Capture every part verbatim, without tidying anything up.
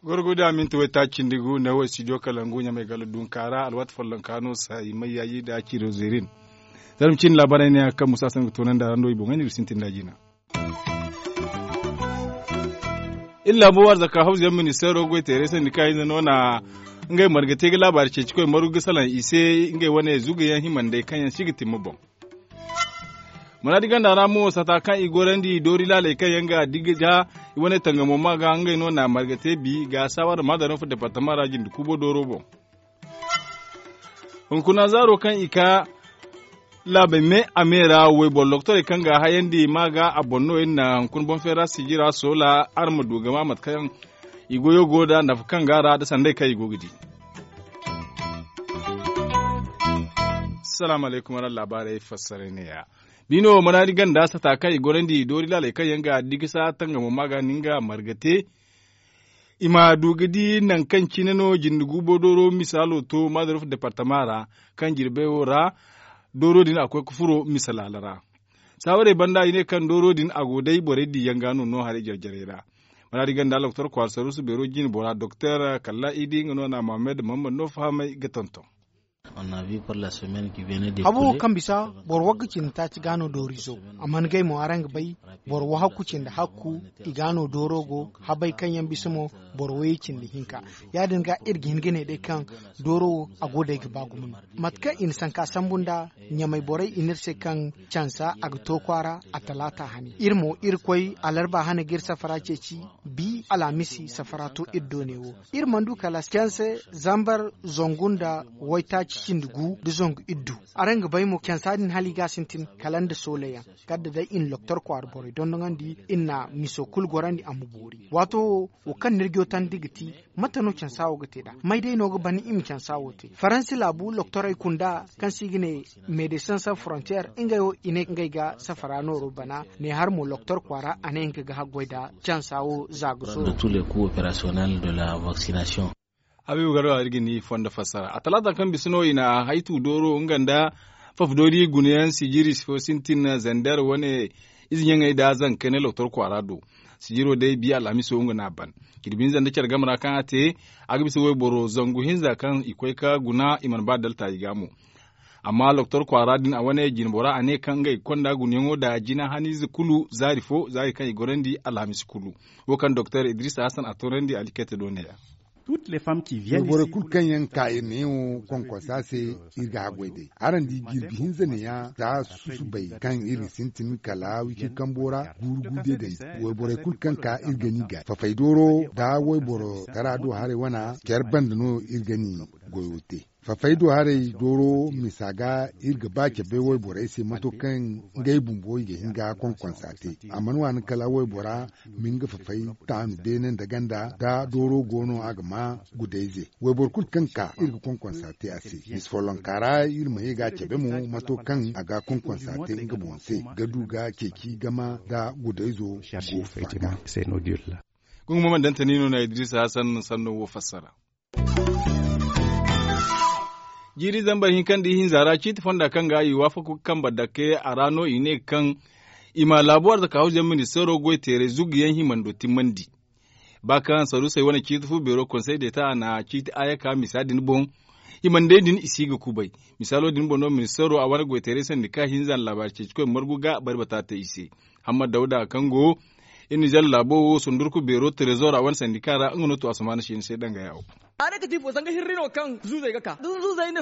Gorgo da minti waytaaci cindi gu ne wo studio kalangu ɲamay gala dunka ra alwaati follonka no sayi mayyaaji nda ciiro zeerin. Zarma ciine laabaarey ne ya kaŋ musa sanda ga toonandi a ra no i boŋey no iri sintin nda a jina. Iri laabo arzaka hawzuyaŋ ministeero goyteerey sandi kaŋ hinza no na ngey marga te ga laabaari ceeci koy margu ga salaŋ i se ngey wane zugayaŋ himandey kaŋ yaŋ si ga timma boŋ. Manaadi ganda ra mo sata kaŋ i gorandi doori laaley kaŋ yaŋ ga digi ja i wane tangamo ma ga ngey no na marga te bi ga saawara maadaran fo departama ra jinde kuubo dooro boŋ. Hunkuna zaaro kaŋ i ka laabey me a me ra wayboro lokotorey kaŋ ga a hayandi ma ga a boŋ no iri na hunkuna boŋ feera sijira soola araŋ ma du ga ma mate kaŋ i goyo go nda nafa kaŋ ga a ra nda sanday kaŋ i go ga di. Salaamu alaykum araŋ laabaarey fassaray ne- ya. Bino manaadi ganda sata kaŋ i gorandi doori laaley kaŋ yaŋ ga digi sa tangamo ma ga nin ga marga te. I ma du ga di nangu kaŋ cine no jinde guubo dooro misaalo to maadarof departama ra kaŋ jirbey wo ra dooro din a koy ga furo misa laala ra. Saawarey banda i ne kaŋ dooro din a go day borey diyaŋ ga no no haray jare-jarey ra. Maraadi ganda doktor kwaara saruusu beero jine bora doktor kalla idi nga no na mohammed mahammad no fahamay ga tonton. Habo wo kaŋ bisa boro wagga cindi taaci ga no doorizo. Amma ni gay mo araŋ ga bay boro wahakku cindi hakku i ga no dooro go habay kaŋ yaŋ bisa mo boro wayey cindi hinka. Ya- din ga iri ga hin ga ne day kaŋ dooro wo a go day ga ba gumo no. Mate kaŋ i na sanka sambu nda ɲamay borey i ne iri se kaŋ cansa a ga to kwaara a talaata hane iri mo iri koy alarba hane ga iri safara ceeci. Bi alhamisi safara to iri do ne wo iri mana du kala canse zambar zangu nda waytaaci cindi gu nda zangu iddu. Araŋ ga bay mo cansa din hala i ga a sintin kala nda soola yaŋ. Kala da day i na loktor kwaara borey dondoŋandi i na miso kulu gorandi a ma boori waato wo wo kaŋ ni iri jotandi ga ti mate no cansa wo ga te nd'a may day no ga ban i ma cansa wo te faransi laabu loktorey kunda kaŋ se i ga ne medesin san frontier ngey wo i ne ngey ga safara nooro bana ne har mo loktor kwaara a ne nga ga haggoy nda cansa wo za ga sooro. Habiibu garba iri ga ni fondo fassara a talaata kaŋ bisa no i na haytu dooro nga nda fafdoori gunayaŋ sijiri fo sintin zander wane ize ɲaŋey nda zankey ne loktor kwaara do. Sijiro day bi alhamiso nga no a ban jirbi hinza nda care game ra kaŋ a te a ga bisa wayboro zangu hinza kaŋ i koy ga guna i mana ba dalta i ga mo. Amma loktor kwaara din a wane jine bora a ne kaŋ ngey ga konda gunayaŋo nda jina haniize kulu zaari fo zaari kaŋ i gorandi alhamisi kulu. Wo kaŋ doktor idrisa hasan a toonandi alikayte do ne- ya. Borey kulu kaŋ yaŋ ga ka iri neewo konkonsa se iri ga haggoy day araŋ di jirbi hinza neeya za susubay kaŋ iri ga sintin kala wicir kambo ra guuru guuru day dandi. Wayborey kulu kaŋ ka iri ga ni ga fafay dooro nda wayboro tara do haray wana care banda no iri ga ni goyo te. Fafay do haray dooro misa ga iri ga ba cabe wayborey se mato kaŋ ngey bumbo i ga hin ga konkonsa te a mana waani kala waybora ma nga fafay taanu beene nda ganda da dooro go no a ga ma gudayze wayboro kulu kaŋ ka iri ga konkonsa te a se misa follonka ra iri ma ye ga a cabe mo mato kaŋ a ga konkonsa te nga boŋ se ga du ga ceeci game da gudayzo go faga. Gungu mo mana dantani no na idrisa hasan sanno wo fassara. Jiiri zambar hinka nda ihinza ra ciiti fonda kaŋ ga i waafaku ga kambe dake a ra no i ne kaŋ i ma laabu arzaka hawzuyaŋ ministeero goy teeray zuguyaŋ himando timmandi. Ba kaŋ saruusey wane ciiti fu beero konsey deeta a na ciiti aaya ka misa din boŋ. Himandey din i si ga kubay. Misaalo din boŋ no ministeero a wane goy teeray sandika hinza na laabaari ceeci koy margu ga bari bata te i se. Hammad dawda kaŋ go iri na zalla laabo wo sundurku beero terezo ra wane sandika ra nga no to asamaana se ni se danga yawo. A ne ka ti ifo zanga hirri no kaŋ zuuzey ga ka da zuuzey ne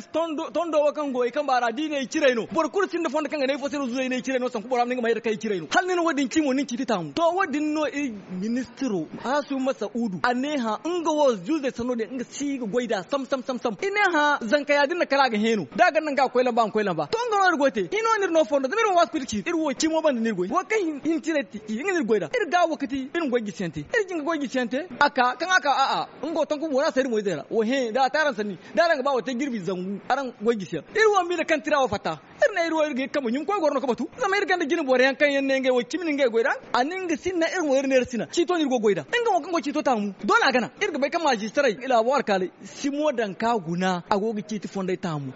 tondo wo kaŋ go i kamba ra da i ne i ciray no boro kulu sinda fondo kaŋ ga ne ifo se no zuuzey ne i ciray no sanku bora ma ni ga mayra kaŋ i ciray no hala ni na wo- din ci mo ni na ciiti taamu to wo- din no iri ministiro, hasu masa'udu a ne hã nga wo zuuzey sanno din nga si ga goy nd'a sam sam sam sam i ne hã zanka ya- din na kala a ga hẽeno da a ga naŋ ga a koy lamba a ma koy lamba to nga no iri goy te i no no iri no fondo zama iri wo waati kulu iri ciiti iri wo cimo banda no iri goy wo kaŋ hin ciray ti i nga no iri goy nd'a iri ga wo ga ti iri ma goy jisiyaŋ te iri jinga goy jisiyaŋ te a ka kaŋ a ka a'a nga wo tonku bora se iri moy. Wo hẽ da a te araŋ sanni da araŋ ga ba wo te jirbi zangu araŋ goy jisi yaŋ iri wo ma i na kaŋ tira wo fatta. Iri ne iri wo iri ga hin kambe ɲumkoy goro no ga batu zama iri gonda jine boro yaŋ kaŋ yaŋ ne ngey wo cimi no ngey goy da a na nga sinna iri mo iri ne iri sina ciito no iri go goy da nga wo kaŋ go ciito taamu doole a gana iri ga bay kaŋ maajistarey laabo alkaaley simo daŋ ka guna a go ga ciiti fondey taamu.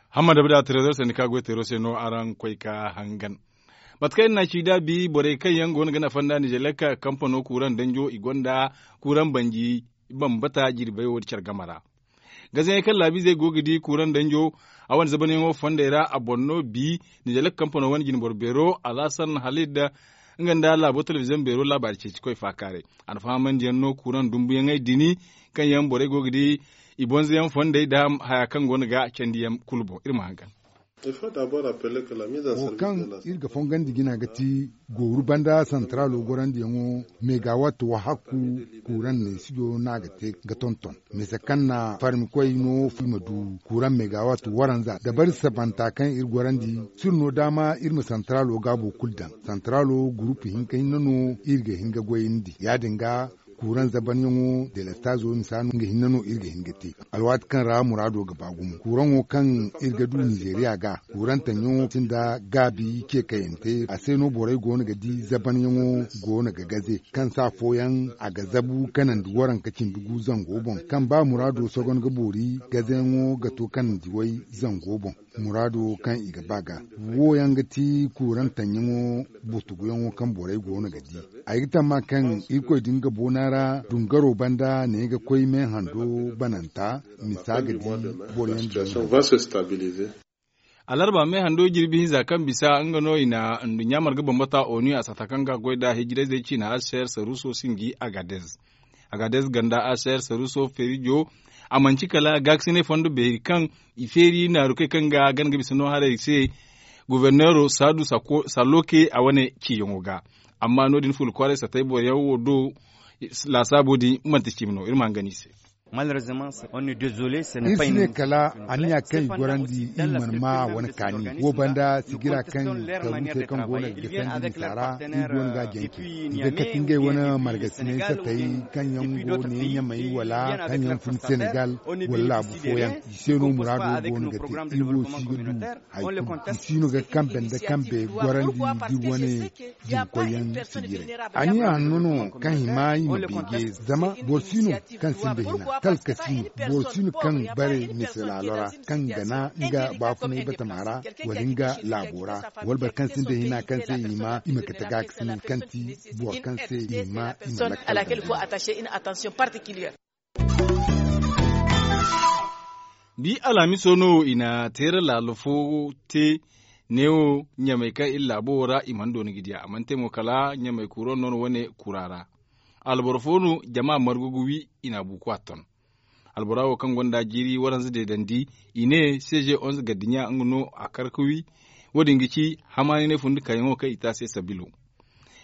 Hammada bada trezor sandi ka goy teero se no araŋ koy ka hangan. Mate kaŋ iri na ci da bi borey kaŋ yaŋ go no ga nafa nda nizelek kampano kuuraŋ danjo i gonda kuuraŋ banji bambata jirbey wo da care game ra. Gazayaŋ kaŋ laabiizey go ga di kuuraŋ danjo a wane zabanyaŋo fondey ra a boŋ no bi nizelek kampano wane jinboro beero alhasan halid nga nda laabo telebiziyoŋ beero laabaari ceeci koy faakaaray. A na fahamandiyaŋ no kuuraŋ dumbuyaŋey dini kaŋ yaŋ borey go ga di i bonzoyaŋ fondey nda haya kaŋ go no ga candiyaŋ kulu boŋ iri ma hangan. Wo kaŋ iri ga fongandi jina ga ti gooru banda santaraalo gorandiyaŋo megawatt wahakku kuuraŋ neesijo no a ga te ga tonton. Mise kaŋ na farmikoy no i ma du kuuraŋ megawatt waranza dabari sabanta kaŋ iri gorandi si iri no daama iri ma santaraalo gaabo kulu daŋ. Santaraalo gurupu hinka hinne no iri ga hin ga goyandi ya- din ga kuuraŋ zabanyaŋo delestaazo misa no nga hinne no iri ga hin ga te. Alwaati kaŋ ra muraado ga ba gumo kuuraŋo kaŋ iri ga du nizeeriya ga kuuraŋ taŋyaŋo sinda gaabi ce kayante a se no borey go no ga di zabanyaŋo go no ga gaze kaŋ se afooyaŋ a ga zabu kanandi waranka cindi gu zango boŋ kaŋ ba muraado sogon ga boori gazeyaŋo ga to kanandi way zango boŋ. Muraado kaŋ i ga ba ga wo yaŋ ga ti kuuraŋ taŋyaŋo butuguyaŋo kaŋ borey go no ga di. Ay ga tamma kaŋ irkoy din ga boona ra dungaro banda ne ga koy me hando bananta misa ga di boro yaŋ din. Alarba me hando jirbi hinza kaŋ bisa nga no i na nduɲɲa marga bambata onu a sata kaŋ ga goy nda hijirayzey ciina aser saruso sinji agadez. Agadez ganda aser saruso feerijo a manci kala gaakasinay fondo beeri kaŋ i feeri naarukey kaŋ ga gana ga bisa no haray se goforneero saadu salloke a wane ciiyaŋo ga. Amma no- din fula kwaaray satay boro yaŋ wo do laasaabo din manti cimi no iri ma hangan i se. Iri si ne kala anniya kaŋ i gorandi iri mana ma wane kaani wo banda sigira kaŋ taruusey kaŋ go no ga gasandi misa ra iri go no ga a janci i ga kate ngey wane margasinay satay kaŋ yaŋ go ne ɲamay wala kaŋ yaŋ fun senegal wala laabu fooyaŋ i se no muraado go no ga te iri wo si ga du hari kulu i si no ga kambe nda kambe gorandi da iri wane jinkoyyaŋ sijiray. Anniya hanno no kaŋ hima i ma beeje zama boro si no kaŋ sinda hina talka si no boro si no kaŋ bare mise laalo ra kaŋ gana nga baafunay batama ra wala nga laabo ra wala boro kaŋ sinda hina kaŋ se i hima i ma kate gaakasinay kaŋ ti boro kaŋ se i hima i ma lakkal. Bi alhamiso no i na teera laalo fo te neewo ɲamey kaŋ iri laabo wo ra i mana dooni ga diya a mana te mo kala ɲamey kuuro no no wane kura ra. Alboro fo no jama margu ga wi i na a buuku a ton. Albora wo kaŋ gonda jiiri waranza deedandi i ne seeze onza gardiɲa nga no a kar ga wi. Wo- din ga ci hamaani ne fundi kayyaŋo kaŋ i te a se sabilo.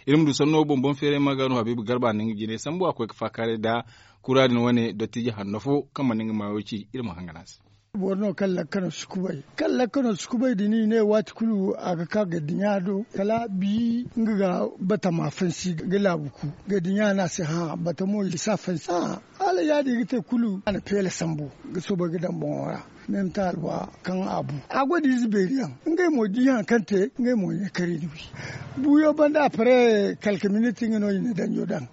Iri ma du sanno boŋ boŋ feeray ma ga no habiibu garba na nga jine sambu a koy ga faakaaray nda kura din wane dottijo hanno fo kaŋ mana nga maayo ci iri ma hangan a se. Boro no kaŋ lakkano si kubay kaŋ lakkano si kubay din i ne waati kulu a ga ka gardiɲa do kala bi nga ga batama fansi ga laabu ku gardiɲa no a se hã batamo i si a fansi hã. Hala ya- din i ga te kulu a na peela sambu ga soobay ga daŋ boŋo ra. Meme taali wa kaŋ a bu a go da ize beeri yaŋ ngey mo di hari kaŋ te ngey mo i ne kar i na wi. Buuyo banda a pare kalka miniti nga no i na danjo daŋ.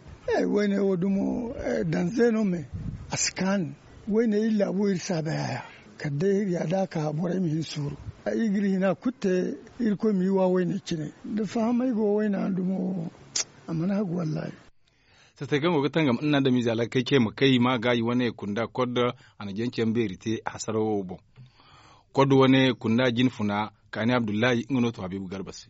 Wayne wo dumo danze no me a si kaanu. Wayne iri laabo iri saabe haya kala day iri ya da a ka borey ma hin suuru. Iri ga iri hina kulu te irkoy ma iri wa wayne cine da fahamay go wayna dumo wo. A mana hagu wallaahi. Satay kaŋ go ga tangam iri na adamize alakey ce ma kay ma ga i wane kunda koddo a na janci yaŋ beeri te hasarawo boŋ. Koddo wane kunda jine funa kaani abdullahi nga no to habiibu garba se.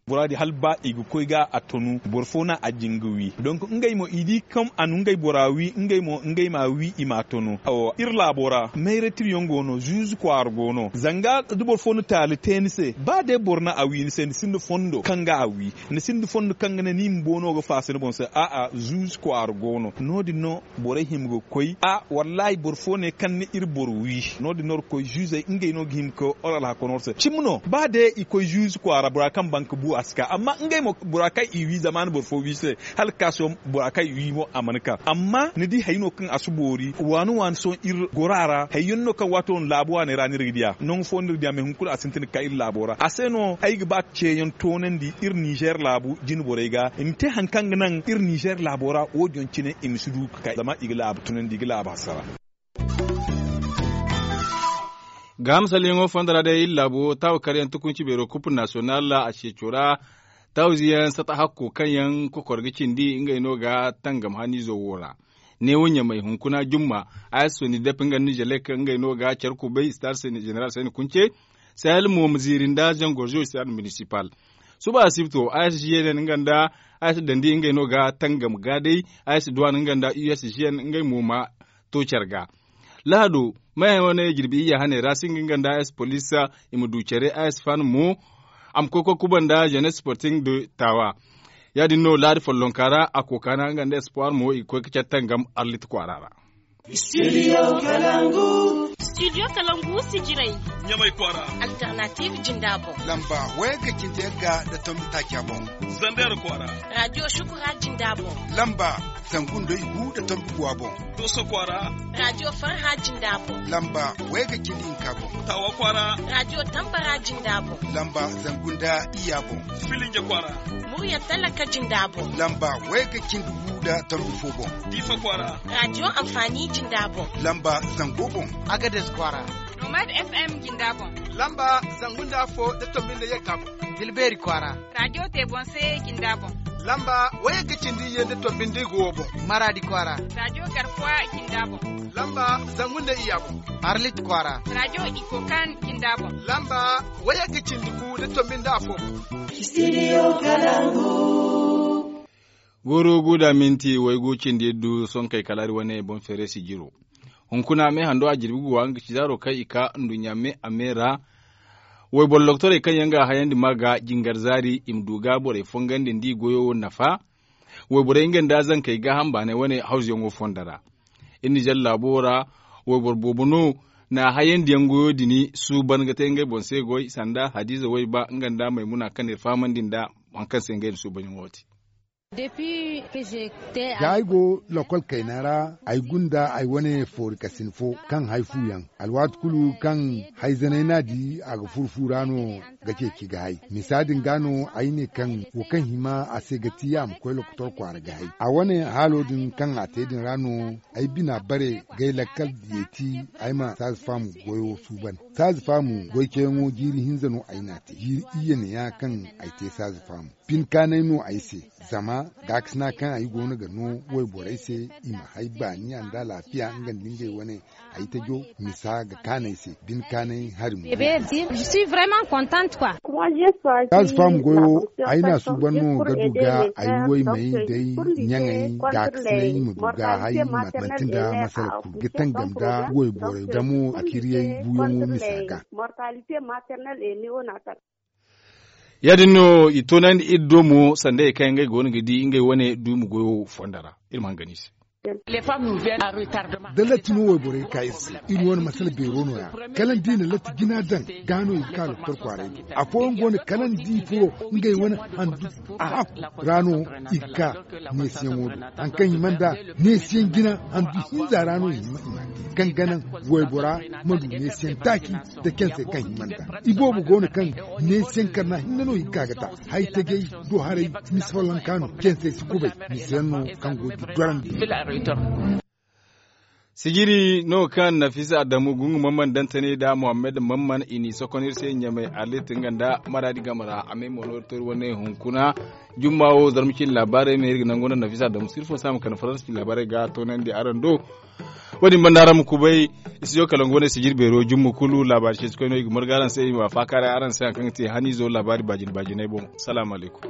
Bora di hala ba i ga koy ga a tonu boro fo no a jin ga wi donk ngey mo i di kaŋ a na ngey bora wi ngey mo ngey ma a wi i ma a tonu. Iri laabo ra mayratiriyaŋ go no zuuzu kwaara go no zanga da boro fo na taali te ni se ba day boro no a wi ni se ni sinda fondo kaŋ ga a wi. Ni sinda fondo kaŋ ga ne ni ma boono ga faasa ni boŋ se a'a zuuzu kwaara go no no- din no borey hima ga koy a wallaahi boro fo ne kaŋ na iri boro wi. No- din no iri ga koy zuuzey ngey no ga hima ga koy oro alhakano iri se cimi no ba day i koy zuuzu kwaara bora kaŋ ban ga buwa. A si ka amma ngey mo bora kaŋ i wi zama ni boro fo wi se, hala ga ka sohõ bora kaŋ i wi mo a mana ka. Amma ni di hari no kaŋ a si boori waani waani sohõ iri goro a ra hari yaŋ no kaŋ waato no laabu waaney ra no iri ga diya nangu fo no iri diya mais hunkuna a sintin ga ka iri laabo ra a se no ay ga ba ceeyaŋ toonandi iri ninzeer laabu jine borey ga i ma te hari kaŋ ga naŋ iri ninzeer laabo ra wo- din cine i ma si du ga ka zama i ga laabu tunandi i ga laabu hasara. Ga hamsalyaŋo fondo ra day iri laabo taawa karyaŋ tukunci beero kupu nasiyonal a ceeco ra. Taawa ziyaŋ sata hakko kaŋ yaŋ kokor ga cindi ngey no ga tangam haniizo wo ra. Neewo ɲamay hunkuna jumma a s soni dep nga nizelek ngey no ga care kubay star jeneral sayni kunce. Sahel mo ma ziiri nda zangorzo stade municipal. Suba asibto a s g n n nga nda a s dandi ngey no ga tangam ga day. A s duwan nga nda u s g n ngey mo ma to care ga. Lahado maya wane jirbi iyya hane ra singa nga nda a s police i ma du care a s fan mo. A ma koy koy kuba nda jeunesse sporting de tawa. Ya- din no laadi follonka ra a kookana nga nda espoir mo i ga koy ga care tangam arlit kwaara ra. Studio kalangu sijiray ɲamay kwaara. Alternative jinda boŋ. Lamba wayga cindi yagga nda tombi taaca boŋ. Zander kwaara. Radio shukura jinda boŋ. Lamba zangu nda igu nda tombi guwa boŋ. Dooso kwaara. Radio farha jinda boŋ. Lamba wayga cindi hinka boŋ. Tawa kwaara. Radio tambara jinda boŋ. Lamba zangu nda iyya boŋ. Filinja kwaara. Murya talaka jinda boŋ. Lamba wayga cindi gu nda tombi fo boŋ. Diifa kwaara. Radio anfaani jinda boŋ. Lamba zango boŋ. Agades kwaara. Nomad f m jinda boŋ. Lamba zangu nda afo nda tombi nda yagga boŋ. Tilbeeri kwaara. Radio te boŋ se jinda boŋ. Lamba wayagga cindi iyye nda tombi nda igu wo boŋ. Maraadi kwaara. Radio garkuwa jinda boŋ. Lamba zangu nda iyya boŋ. Arlit kwaara. Radio ikokan jinda boŋ. Lamba wayagga cindi gu nda tombi nda afo boŋ. Studio kalangu. Goro guda minti waygu cindi du sonkey kala iri wane boŋ feere sijiro. Hunkuna me hando a jirbi guwa nga ga ci zaaro kaŋ i ka nduɲɲa me a me ra. Wayboro doktorey kaŋ yaŋ ga a hayandi ma ga jingar zaari i ma du ga borey fongandi nda i goyo nafa. Wayborey nga nda zankey gaaham baanay wane hawzuyaŋo fondo ra. Iri na zalla laabo ra wayboro boobo no na hayandiyaŋ goyo din suuban ga te ngey boŋ se goy sanda hadiiza wayba nga nda maymuna kaŋ na iri fahamandi nda hari kaŋ se ngey na suubanyaŋo te. Za ay go lokol kayna ra ay gunda ay wane foori kasin fo kaŋ hay fu yaŋ alwaati kulu kaŋ hayzanay n'a di a ga furu fu ra no ga ceeci ga hay misa din ga no ay ne kaŋ wo kaŋ hima a se ga ti a ma koy lokotor kwaara ga hay a wane haalo din kaŋ a te din ra no ay bina bare gay lakkal diyeeti ay ma saaza faamu goyo suuban. Saaza faamu goy ceeyaŋo jiiri hinza no ay n'a te jiiri iyye ne ya kaŋ ay te saaza faamu. Bin kaanay no ay se zama gaakasina kaŋ ay go no ga no wayborey se i ma hay baaniya nda alaafiya nga nda ngey wane ay tajo misa ga kaanay se bin kaanay hari mo. Saaza faamu goyo ay n'a suuban no ga du ga ay waymey day ɲaŋey gaakasinay i ma du ga hay manti nda masala kulu ga tangam nda wayborey damo a kiriyey buuyaŋo misa ga. Ya- din no i toonandi iri do mo sanda ye kaŋ yaŋ ngey go no ga di ngey wane duumi goyo fondo ra. Iri ma hangan i se. Da latti no wayborey ga ka iri se iri wane masala beero no- ya kala ni di i na latti jina daŋ ga no i ga ka lokotor kwaaray do. Afooyaŋ go no kala ni di furo ngey wane handu a hakku ra no i ga ka neesiyaŋo do. Hari kaŋ hima nda neesiyaŋ jina handu hinza ra no i hima i ma te kaŋ ga naŋ waybora ma du neesiyaŋ taaci nda cansey kaŋ hima nda. Iboobo go no kaŋ neesiyaŋ karna hinne no i ga ka ga ta. Hay tajey do haray misa follanka no cansey si kubay misa yaŋ no kaŋ go ga i dorandi. Sijiri no kaŋ nafisa adamu gungu mamman dantane nda muhammad mamman i n'i sokon iri se ɲamay arlit nga nda maraadi game ra a may mo no iri to iri wane hunkuna. Jumma wo zarma cine laabaarey me iri ga nangu nda nafisa adamu sirfo se a ma kande faransa cine laabaarey ga toonandi araŋ do. Wo- din banda araŋ ma kubay. Studio kalangu wane sijiri beero jumma kulu laabaari ceeci koy no i ga marga araŋ se i ma faakaaray araŋ se hari kaŋ ga te haniizo laabaari baajine baajiney boŋ. Salaamu alaykum.